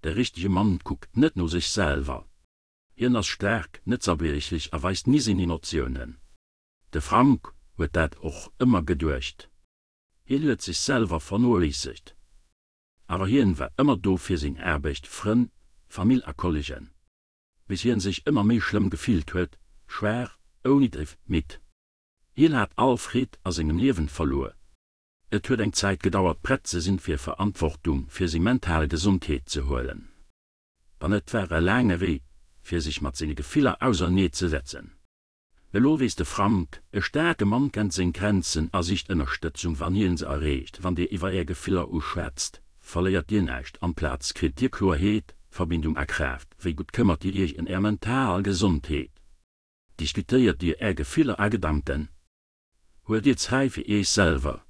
De richtege Mann kuckt net no sech selwer. Hien ass staark, net zerbriechlech a weist ni seng Emotiounen. De Frank huet dat och ëmmer geduecht. Hien huet sech selwer vernoléissegt. Awer hien war ëmmer do fir seng Aarbecht, Frënn, Famill a Kollegen. Bis hien sech ëmmer méi schlëmm gefillt huet, schwaach, ouni Driff, midd. Hien hat all Freed a sengem Liewen verluer. Et huet eng Zäit gedauert prett ze sinn fir Verantwortung fir seng mental Gesondheet ze huelen. An et war e laange Wee fir sech mat senge Gefiller ausernee ze setzen. Elo weess de Frank, e staarke Mann kennt seng Grenzen a sicht Ënnerstëtzung wann hien se erreecht. Wann Dir iwwer Är Gefiller uschwätzt, verléiert Dir näischt, amplaz kritt Dir Kloerheet, Verbindung a Kraaft. Wéi gutt këmmert Dir Iech ëm Är mental Gesondheet? Diskutéiert Dir Är Gefiller a Gedanken? Huelt Dir Zäit fir Iech selwer?